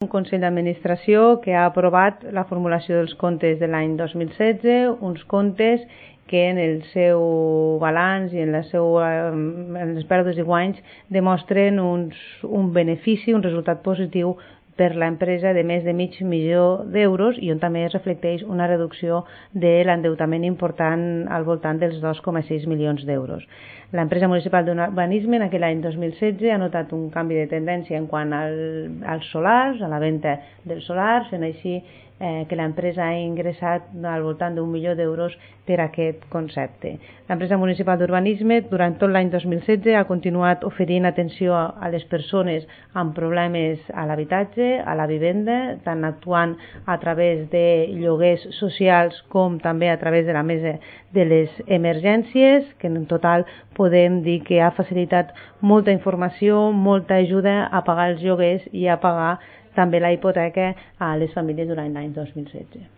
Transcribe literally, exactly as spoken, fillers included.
Un Consell d'Administració que ha aprovat la formulació dels comptes de l'any dos mil setze, uns comptes que en el seu balanç i en, la seu, en les pèrdues i guanys demostren uns, un benefici, un resultat positiu per l'empresa de més de mig milió d'euros i on també es reflecteix una reducció de l'endeutament important al voltant dels dos coma sis milions d'euros. L'empresa municipal d'urbanisme en aquell any dos mil setze ha notat un canvi de tendència en quant al, als solars, a la venda dels solars, fent així eh, que l'empresa ha ingressat al voltant d'un milió d'euros per aquest concepte. L'empresa municipal d'urbanisme durant tot l'any dos mil setze ha continuat oferint atenció a les persones amb problemes a l'habitatge, a la vivenda, tant actuant a través de lloguers socials com també a través de la mesa de les emergències, que en total podem dir que ha facilitat molta informació, molta ajuda a pagar els lloguers i a pagar també la hipoteca a les famílies durant l'any dos mil setze.